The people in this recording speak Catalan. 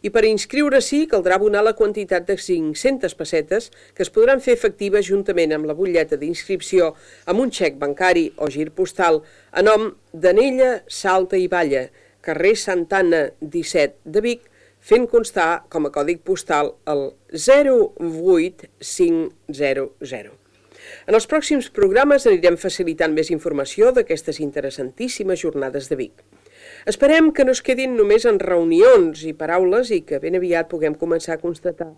I per inscriure-s'hi caldrà abonar la quantitat de 500 pessetes que es podran fer efectives juntament amb la butlleta d'inscripció amb un xec bancari o gir postal a nom d'Anella, Salta i Balla, carrer Santana 17 de Vic, fent constar com a còdig postal el 08500. En els pròxims programes anirem facilitant més informació d'aquestes interessantíssimes jornades de Vic. Esperem que no es quedin només en reunions i paraules i que ben aviat puguem començar a constatar